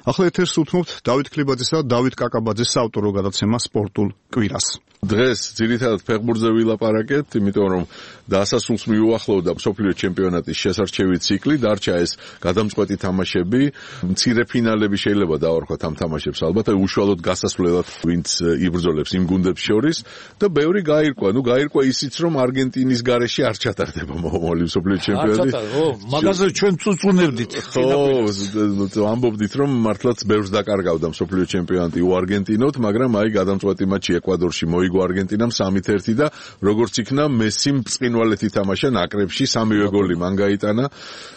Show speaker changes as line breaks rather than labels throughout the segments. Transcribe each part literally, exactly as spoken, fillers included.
ახლა ეთერს უთმობთ დავით ქლიბაძესა და დავით კაკაბაძის საავტორო გადაცემა სპორტულ კვირას.
დღეს ძირითადად ფეხბურთზე ვილაპარაკეთ, იმიტომ რომ დასასრულს მიუახლოვდა მსოფლიო ჩემპიონატის შესარჩევი ციკლი, დარჩა ეს გადამწყვეტი თამაშები, მცირე ფინალები შეიძლება დავარქვათ ამ თამაშებს ალბათ, უშუალოდ გასასვლელად ვინც იბრძოლებს იმ გუნდებს შორის და ბევრი გაირკვა, ну გაირკვა ისიც რომ არგენტინის გარეშე არ ჩატარდება მომავალი მსოფლიო ჩემპიონატი.
ო, მაგაზე ჩვენ წუწუნებდით.
ხო, ამბობდით რომ მართლაც ბევრს დაკარგავდა მსოფლიო ჩემპიონატი უარგენტინოთ, მაგრამ აი გადამწყვეტი მატჩი ეკვადორში მოიგო არგენტინამ სამით ერთი და როგორც იქნა მესიმ ბრწყინვალეთი თამაშა ნაკრებში სამივე გოლი მან გაიტანა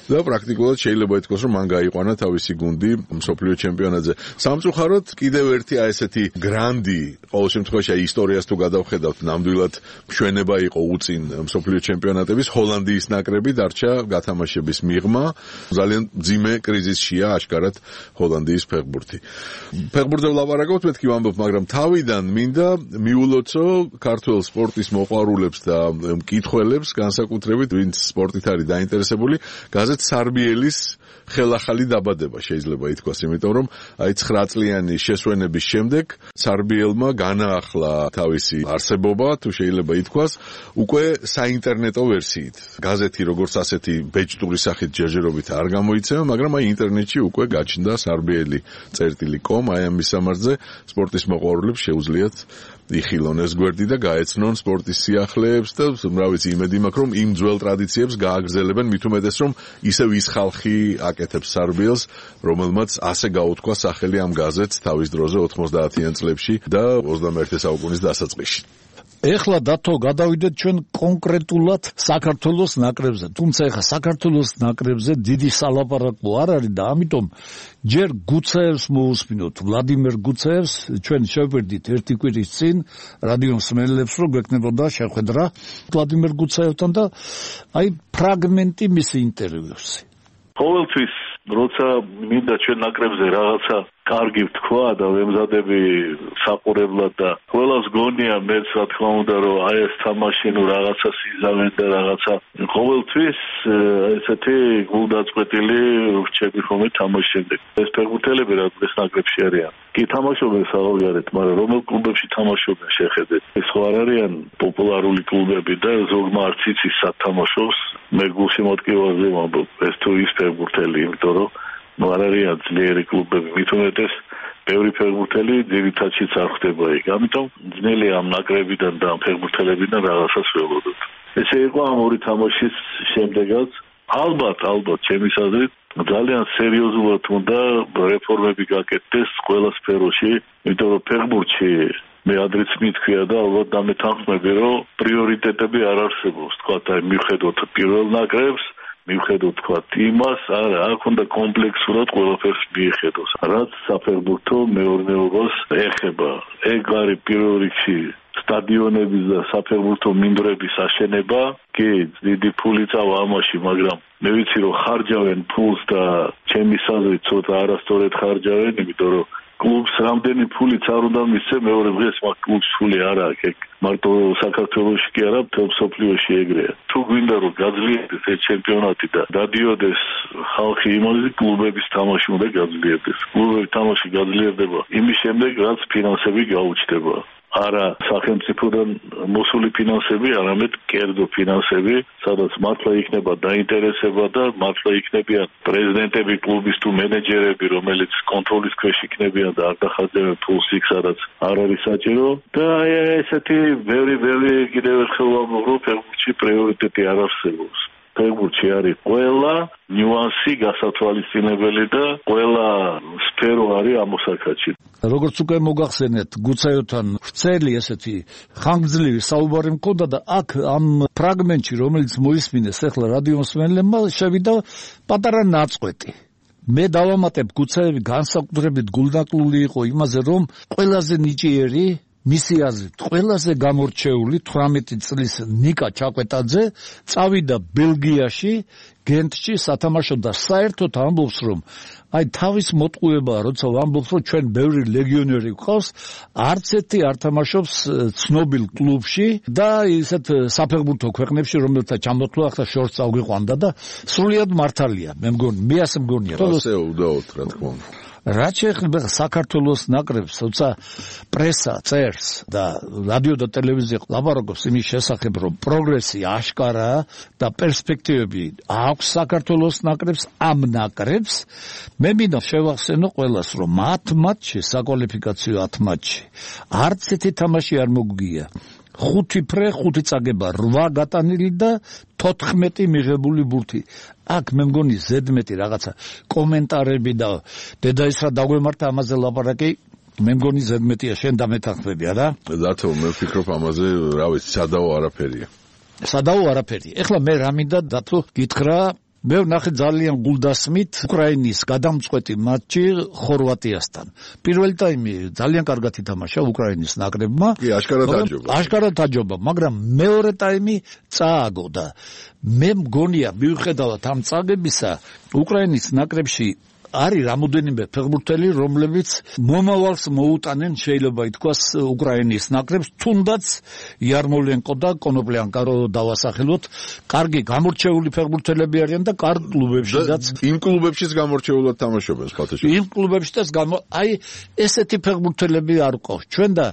და პრაქტიკულად შეიძლება ითქვას რომ მან გაიყვანა თავისი გუნდი მსოფლიო ჩემპიონატზე. სამწუხაროდ კიდევ ერთი აი ესეთი გრანდი ყოველ შემთხვევაში აი ისტორიას თუ გადავხედავთ ნამდვილად მშვენება იყო უწინ მსოფლიო ჩემპიონატების ჰოლანდიის ნაკრები დარჩა გათამაშების მიღმა ძალიან ძიმე კრიზისშია აშკარად ჰოლანდიის ფეხბურთი. ფეხბურთზე ვლაპარაკობთ მეთქი ვამბობ, მაგრამ თავიდან მინდა მიულოცო ქართველ სპორტის მოყვარულებს და მკითხველებს, განსაკუთრებით ვინც სპორტით არის დაინტერესებული, გაზეთ სარბიელის ხელახალი დაბადება შეიძლება ითქვას, იმიტომ რომ აი ცხრა წლიანი შესვენების შემდეგ სარბიელმა განაახლა თავისი არსებობა, თუ შეიძლება ითქვას, უკვე საინტერნეტო ვერსიით. გაზეთი როგორც ასეთი ბეჭდური სახით ჯერჯერობით არ გამოიცემა, მაგრამ აი ინტერნეტში უკვე გაჩნდა სარბიელი წერტილი კომ, აი ამ მისამართზე სპორტის მოყვარულებს შეუძლიათ იხილონ ეს გვერდი და გაეცნონ სპორტის სიახლეებს და რა ვიცი, იმედი მაქვს რომ იმ ძველ ტრადიციებს გააგრძელებენ, მით უმეტეს რომ ისევ ის ხალხი აკეთებს სარბიელს, რომელმაც ასე გაუთქვა სახელი ამ გაზეთს თავის დროზე ოთხმოცდაათიან წლებში და ოცდამეერთე საუკუნის დასაწყისში.
ეხლა დათო გადავიდეთ ჩვენ კონკრეტულად საქართველოს ნაკრებზე. თუმცა ეხლა საქართველოს ნაკრებზე დიდი სალაპარაკო არ არის და ამიტომ ჯერ გუცაევს მოусმინოთ, ვლადიმერ გუცაევს, ჩვენ შევფერდით ერთი კვირის წინ რადიო მსმენელებს, რომ გვექნებოდა შეხვედრა ვლადიმერ გუცაევთან და აი ფრაგმენტი მისი ინტერვიუსი.
ყოველთვის როცა მინდა ჩვენ ნაკრებზე რაღაცა კარგი ვთქვა და ვემზადები საყურებლად და ყველას გონია მეც რა თქმა უნდა რომ აი ეს თამაში ნუ რაღაცა სიზავენ და რაღაცა ყოველთვის ესეთი გულდაწყვეტილი რჩები ხოლმე თამაშის შემდეგ. ეს ფეხბურთელები რა დღეს ნაკრებში არიან. კი თამაშობენ საერთოდ, მაგრამ რომელ კლუბებში თამაშობენ შეხედეთ. ეს ხო არ არიან პოპულარული კლუბები და ზოგმა არც იცის სად თამაშობს. მე გულში მოტკივაზე ვამბობ, ეს თუ ის ფეხბურთელი, იმიტომ რომ ნუ არ არიან ძლიერი კლუბები, მით უმეტეს ბევრი ფეხბურთელი ძირითადშიც არ ხდება იქ. ამიტომ ძნელია ამ ნაკრებიდან და ამ ფეხბურთელებიდან რაღაცას ველოდოთ. ესე იყო ამ ორი თამაშის შემდეგაც. ალბათ, ალბათ, ჩემის აზრით ძალიან სერიოზულად უნდა რეფორმები გაკეთდეს ყველა სფეროში, იმიტომ რომ ფეხბურთში მე ადრეც მითქვია და ალბათ დამეთანხმები, რომ პრიორიტეტები არ არსებობს. თქვათ, აი მიხედოთ პირველ ნაკრებს, მიხედოთ თქვათ იმას, არა, აქ უნდა კომპლექსურად ყველაფერს მიხედოს. რაც საფეხბურთო მეურნეობას ეხება. ეგ არის პირველ რიგში სტადიონების და საფეხბურთო მინდვრების აშენება. კი, დიდი ფული წავა ამაში, მაგრამ მე ვიცი რომ ხარჯავენ ფულს და ჩემის აზრით ცოტა არასწორად ხარჯავენ, იმიტომ რომ კლუბს რამდენი ფულიც არ უნდა მისცე, მეორე დღეს მაგ კლუბს ფული არ აქვს. ეგ მარტო საქართველოში კი არა, მთელ მსოფლიოში ეგრეა. თუ გვინდა რომ გაძლიერდეს ეს ჩემპიონატი და დადიოდეს ხალხი იმაზე, კლუბების თამაში უნდა გაძლიერდეს. კლუბების თამაში გაძლიერდება იმის შემდეგ, რაც ფინანსები გაუჩნდება. არა სახელმწიფოდან მოსული ფინანსები, არამედ კერძო ფინანსები, სადაც მართლა იქნება დაინტერესება და მართლა იქნებიან პრეზიდენტები კლუბის თუ მენეჯერები, რომელიც კონტროლის ქვეშ იქნებიან და არ დახარჯებენ ფულს იქ, სადაც არ არის საჭირო. და აი ესეთი ბევრი ბევრი კიდევ ერთხელ ვამბობ, რომ ფეხბურთში პრიორიტეტი არ არსებობს. ფეხბურთში არის ყველა ნიუანსი გასათვალისწინებელი და ყველა სფერო არის ამოსაკაჩი.
როგორც უკვე მოგახსენეთ, გუცაევთან ვრცელი ესეთი ხანგრძლივი საუბარი მქონდა და აქ ამ ფრაგმენტში, რომელიც მოისმინეს ახლა რადიო მსმენელებმა, შევიდა პატარა ნაწყვეტი. მე დავამატებ, გუცაევი განსაკუთრებით გულდაკლული იყო იმაზე, რომ ყველაზე ნიჭიერი მისი აზრით ყველაზე გამორჩეული თვრამეტი წლის ნიკა ჩაკვეტაძე წავიდა ბელგიაში, გენტში სათამაშო და საერთოდ ამბობს, რომ აი თავის მოტყუებაა, როცა ვამბობს, რომ ჩვენ ბევრი ლეგიონერი გვყავს, არც ერთი არ თამაშობს ცნობილ კლუბში და ისეთ საფეხბურთო ქვეყნებში, რომელთა ჩამოთვლა ახლა შორს წავიყვანდა და სრულიად მართალია. მე მგონი, მე ასე მგონია.
ასე უდაოდ, რა თქმა უნდა.
რაც შეეხება საქართველოს ნაკრებს, თუმცა პრესა წერს და რადიო და ტელევიზია ლაპარაკობს იმის შესახებ, რომ პროგრესი აშკარაა და პერსპექტივები აქვს საქართველოს ნაკრებს, ამ ნაკრებს, მე მინდა შევახსენო ყველას, რომ ათ მატჩში, საკვალიფიკაციო ათ მატჩში, არც ერთი თამაში არ მოგვიგია. ხუთი ფრე, ხუთი წაგება, რვა გატანილი და თოთხმეტი მიღებული ბურთი. აქ მე მგონი ზედმეტი რაღაცა კომენტარები და დედაის რა დაგვემართა ამაზე ლაპარაკი, მე მგონი ზედმეტია, შენ დამეთანხმებია რა?
დათო, მე ვფიქრობ ამაზე, რა ვიცი, სადაო არაფერია.
სადაო არაფერი. ეხლა მე რა მინდა დათო გითხრა, მე ვნახე ძალიან გულდასმით უკრაინის გადამწყვეტი მატჩი ხორვატიასთან. პირველი ტაიმი ძალიან კარგად ითამაშა უკრაინის ნაკრებმა.
კი, აშკარად აჯობა.
აშკარად აჯობა, მაგრამ მეორე ტაიმი წააგო და მე მგონია მიუხედავად ამ წაგებისა, უკრაინის ნაკრებში არის რამოდენიმე ფეხბურთელი, რომლებიც მომავალს მოუტანენ, შეიძლება ითქვას, უკრაინის ნაკრებს, თუნდაც იარმოლენკო და კონოპლიანკა რო დავასახელოთ, კარგი გამორჩეული ფეხბურთელები არიან და კარგ კლუბებშიც.
იმ კლუბებშიც გამორჩეულად თამაშობენ, სხვათა შორის.
იმ კლუბებშიც გამო, აი ესეთი ფეხბურთელები არ ყავს. ჩვენ და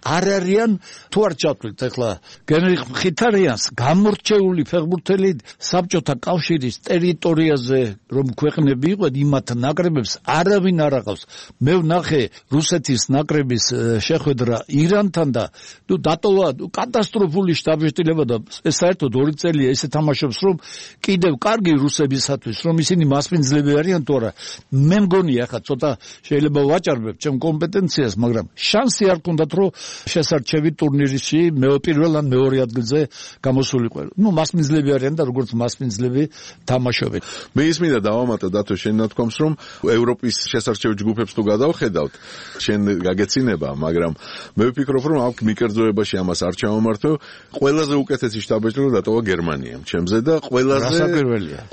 არ არიან თუ არ ჩავთვლით ახლა გენრიხ მხითარიანს გამორჩეული ფეხბურთელი საბჭოთა კავშირის ტერიტორიაზე რომ ქვეყნები იყვნენ იმათ ნაკრებებს არავინ არ აღავს. მე ვნახე რუსეთის ნაკრების შეხვედრა ირანთან და ნუ დატოვა კატასტროფული შტაბ-შტილება და საერთოდ ორი წელია ესე თამაშობს რომ კიდევ კარგი რუსებისათვის რომ ისინი მასპინძლები არიან თუ არა. მე მგონია ახლა ცოტა შეიძლება ვაჭარბებ ჩემ კომპეტენციას, მაგრამ შანსი არ გქონდათ რომ შესარჩევი ტურნირში მე პირველ ან მეორე ადგილზე გამოსულიყო. ნუ მასპინძლები არიან და როგორც მასპინძლები თამაშობენ.
მე ის მინდა დავამატო დათო შენ ნათქვამს რომ ევროპის შესარჩევი ჯგუფებს თუ გადავხედავთ, შენ გაგეცინება, მაგრამ მე ვფიქრობ რომ აქ მიკერძოებაში ამას არ ჩავამართო, ყველაზე უკეთესი შტაბ-შტილება დატოვა გერმანიამ ჩემზე და ყველაზე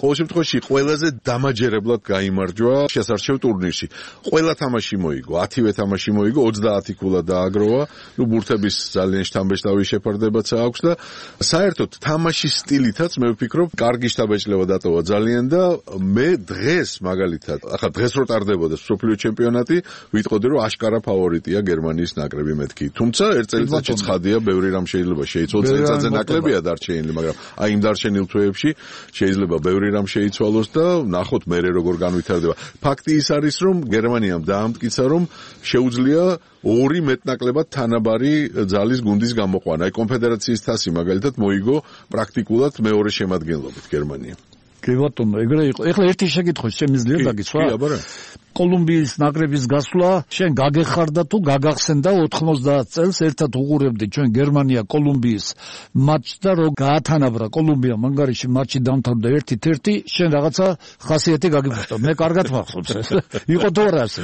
ყოველ შემთხვევაში ყველაზე დამაჯერებლად გაიმარჯვა შესარჩევ ტურნირში. ყველა თამაში მოიგო, ათივე თამაში მოიგო, ოცდაათი ქულა დააგროვა. ნუ ბურთების ძალიან შთამბეჭდავი შეფარდებაც აქვს და საერთოდ თამაშის სტილითაც მე ვფიქრობ, კარგი შთამბეჭდავება დატოვა ძალიან და მე დღეს მაგალითად, ახლა დღეს რო ტარდებოდა მსოფლიო ჩემპიონატი, ვიტყოდი რომ აშკარა ფავორიტია გერმანიის ნაკრები მეთქი. თუმცა ერთ წელიწადში ცხადია, ბევრი რამ შეიძლება შეიცვალოს, წელიწადზე ნაკლებია დარჩენილი, მაგრამ აი იმ დარჩენილ თვეებში შეიძლება ბევრი რამ შეიცვალოს და ნახოთ მერე როგორ განვითარდება. ფაქტი ის არის, რომ გერმანიამ დაამტკიცა, რომ შეუძლია ორი მეტნაკლებად თანაბარი ძალის გუნდის გამოყვანა. აი კონფედერაციის თასი მაგალითად მოიგო პრაქტიკულად მეორე შემადგენლობით გერმანია.
კი ბატონო, ეგრე იყო. ეხლა ერთი შეკითხვა შემიძლია დაგიცვა?
კი, აბარა. კოლუმბიის
ნაკრების გასვლა შენ გაგეხარდა თუ გაგახსენდა ოთხმოცდაათ წელს ერთად უყურებდი ჩვენ გერმანია კოლუმბიის მატჩს და რო გაათანაბრა კოლუმბია მანგარიში მატჩი დამთავრდა ერთ-ერთი, შენ რაღაცა ხასიათი გაგიფრთხილდა. მე კარგად მახსოვს ეს. იყო თუ არა ასე?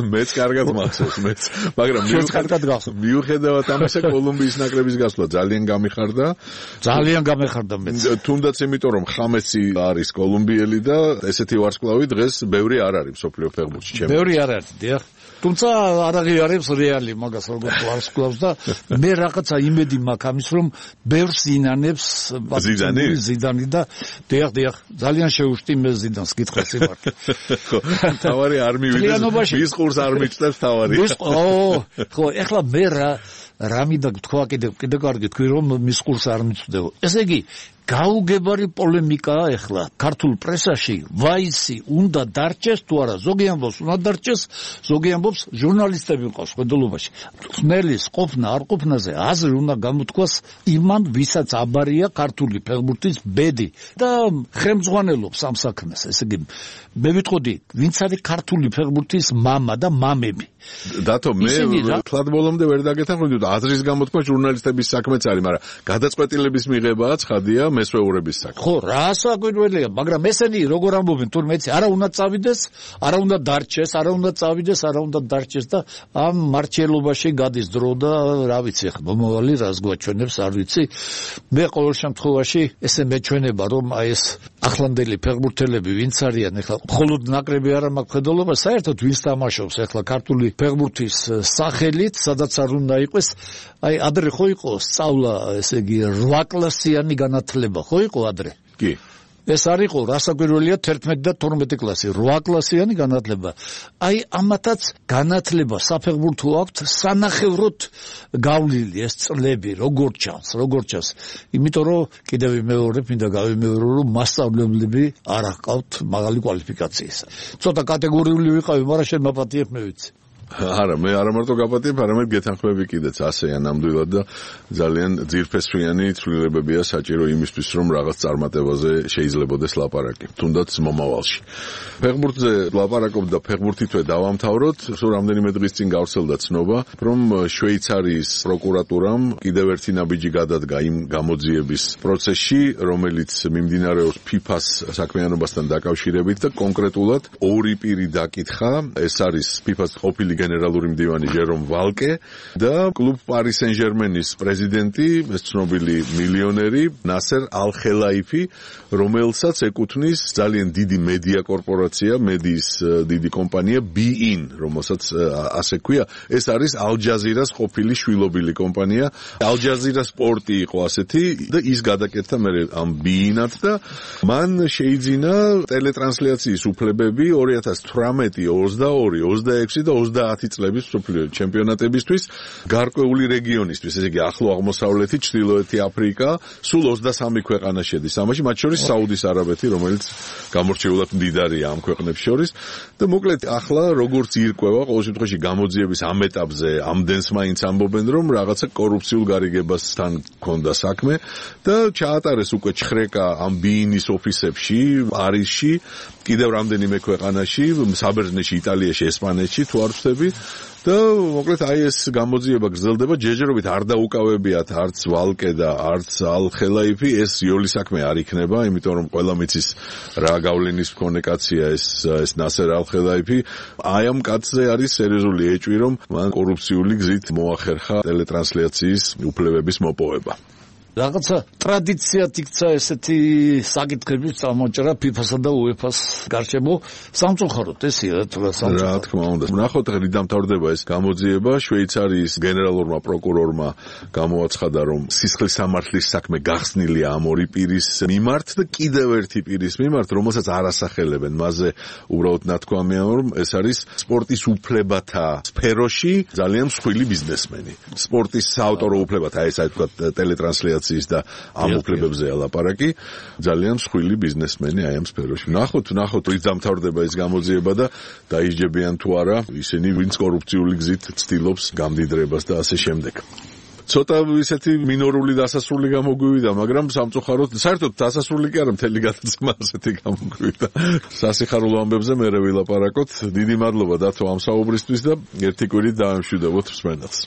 მეც კარგად მახსოვს, მეც. მაგრამ მიუხედავად ამისა კოლუმბიის ნაკრების გასვლა ძალიან გამიხარდა.
ძალიან გამეხარდა მეც.
თუნდაც იმიტომ რომ ხამესი არის კოლუმბიელი და ესეთი ვარსკვლავი დღეს ბევრი არ არის მსოფლიო
ბევრი არ არის, დიახ. თუმცა არ აღიარებს რეალი მაგას როგორც ვარსკვლავს და მე რაღაცა იმედი მაქვს ამის რომ ბევრს ინანებს ზიდანი და დიახ, დიახ, ძალიან შეუშტი მე ზიდანს გითხრას იმართ.
ხო, თავარი არ მივიდეს, ის ყურს არ მიჭდებს თავარი.
ის ო, ხო, ეხლა მე რა რა მინდა თქვა კიდე კიდე კარგი თქვი რომ მის ყურს არ მიწვდეო. ესე იგი გაუგებარი პოლემიკაა ეხლა ქართულ პრესაში, ვაისი უნდა დარჩეს თუ არა, ზოგი ამბობს უნდა დარჩეს, ზოგი ამბობს ჟურნალისტები მყავს ხედულობაში. ხმელის ყოფნა არ ყოფნაზე აზრი უნდა გამოთქვას იმან, ვისაც აბარია ქართული ფეხბურთის ბედი და ხელმძღვანელობს ამ საქმეს. ესე იგი მე ვიტყოდი, ვინც არის ქართული ფეხბურთის მამა და მამები.
დათო, მე თლად ბოლომდე ვერ დაგეთანხმები და აზრის გამოთქვა ჟურნალისტების საქმეც არის, მაგრამ გადაწყვეტილების მიღებაა ცხადია მესვეურების საქმე.
ხო, რა საკვირველია, მაგრამ ესენი როგორ ამბობენ თურმე იცი, არა უნდა წავიდეს, არა უნდა დარჩეს, არა უნდა წავიდეს, არა უნდა დარჩეს და ამ მარჩელობაში გადის დრო და რა ვიცი, ხა მომავალი რას გვაჩვენებს, არ ვიცი. მე ყოველ შემთხვევაში ესე მეჩვენება, რომ აი ეს ახლანდელი ფეხბურთელები ვინც არიან, ეხლა მხოლოდ ნაკრები არ მაქვს ხედულობა, საერთოდ ვინც თამაშობს ეხლა ქართული ფეხბურთის სახელით, სადაც არ უნდა იყოს, აი ადრე ხო იყო სწავლა, ესე იგი რვა კლასიანი განათლება, ხო იყო ადრე?
კი.
ეს არისო რასაკვირველია თერთმეტი და თორმეტი კლასი, რვა კლასიანი განათლება. აი ამათაც განათლება საფეხბურთო აქვთ სანახევროდ გავლილი ეს წლები, როგორ ჩანს, როგორ ჩანს. იმიტომ რომ კიდევ მეორე მინდა გავიმეორო რომ მასწავლებლები არ აყავთ მაღალი კვალიფიკაციის. ცოტა კატეგორიული ვიყავი, მაგრამ შენ მაპატიებ მე ვიცი.
არა, მე არა მარტო გაპატიებ, არამედ გეთანხმები კიდეც ასეა ნამდვილად და ძალიან ძირფესვიანი ცვლილებებია საჭირო იმისთვის, რომ რაღაც წარმატებაზე შეიძლებადეს ლაპარაკი, თუნდაც მომავალში. ფეხბურთზე ლაპარაკობ და ფეხბურთითვე დავამთავროთ, სულ რამდენიმე დღის წინ გავრცელდა ცნობა, რომ შვეიცარიის პროკურატურამ კიდევ ერთი ნაბიჯი გადადგა იმ გამოძიების პროცესში, რომელიც მიმდინარეობს ფიფას საქმიანობასთან დაკავშირებით და კონკრეტულად ორი პირი დაკითხა, ეს არის ფიფას ყოფილი გენერალური მდივანი ჟერომ ვალკე და კლუბ პარი სენ-ჟერმენის პრეზიდენტი, ეს ცნობილი მილიონერი ნასერ ალ-ხელაიფი, რომელსაც ეკუთვნის ძალიან დიდი მედია კორპორაცია, მედიის დიდი კომპანია Be-in, რომელსაც ასე ქვია, ეს არის ალ-ჯაზირას ყოფილი შვილობილი კომპანია. ალ-ჯაზირა სპორტი იყო ასეთი და ის გადაკეთდა მე ამ Be-in-ად და მან შეიძინა ტელეტრანსლაციის უფლებები ორი ათას თვრამეტი, ოცდაორი, ოცდაექვსი და ოცდაათი წლების მსოფლიო ჩემპიონატებისთვის გარკვეული რეგიონისთვის, ესე იგი ახლო აღმოსავლეთი, ჩრდილოეთი აფრიკა, სულ ოცდასამი ქვეყანა შედის ამაში, მათ შორის საუდის არაბეთი, რომელიც გამორჩეულად მდიდარია ამ ქვეყნებს შორის და მოკლედ ახლა როგორც ირკვევა, ყოველ შემთხვევაში გამოძიების ამ ეტაპზე ამდენს მაინც ამბობენ, რომ რაღაცა კორუფციულ გარიგებასთან ჰქონდა საქმე და ჩაატარეს უკვე ჩხრეკა ამ Be-in-ის ოფისებში, პარიზში, კიდევ რამდენიმე ქვეყანაში, საბერძნეთში, იტალიაში, ესპანეთში, თუ არ ვცდები და მოკლედ აი ეს გამოძიება გრძელდება, ჯერჯერობით არ დაუკავებიათ არც ვალკე და არც ალ-ხელაიფი, ეს იოლი საქმე არ იქნება, იმიტომ რომ ყველა მიცის რა გავლენის მქონე კაცია ეს ეს ნასერ ალ-ხელაიფი. აი ამ კაცზე არის სერიოზული ეჭვი, რომ მან კორუფციული გზით მოახერხა ტელეტრანსლაციის უფლებების მოპოვება.
რაღაცა ტრადიციად იქცა ესეთი საკითხების წამოჭრა ფიფასა და უეფას გარშემო სამწუხაროდ ესია თუ რა სამწუხაროდ.
რა თქმა უნდა. ნახოთ ღრი დამთავრდება ეს გამოძიება, შვეიცარიის გენერალურმა პროკურორმა გამოაცხადა, რომ სისხლის სამართლის საქმე გახსნილია ამ ორი პირის მიმართ და კიდევ ერთი პირის მიმართ, რომელსაც არ ასახელებენ. მასზე უბრალოდ ნათქვამია, რომ ეს არის სპორტის უფლებათა სფეროში ძალიან მსხვილი ბიზნესმენი. სპორტის საავტორო უფლებათა, ეს აი თქვა ტელეტრანსლაცია და ამ უფლებებზეა ლაპარაკი, ძალიან მსხვილი ბიზნესმენი აი ამ სფეროში. ნახოთ, ნახოთ, ის დამთავრდება ეს გამოძიება და დაისჯებიან თუ არა ისინი, ვინც კორუფციული გზით ცდილობს გამდიდრებას და ასე შემდეგ. ცოტა ისეთი მინორული დასასრული გამოგვივიდა, მაგრამ სამწუხაროდ, საერთოდ დასასრული კი არა, მთელი გადაცემა ასეთი გამოგვივიდა. სასიხარულო ამბებზე მერე ვილაპარაკოთ. დიდი მადლობა დათო ამ საუბრისთვის და ერთი კვირით დაამშვიდობოთ მსმენელს.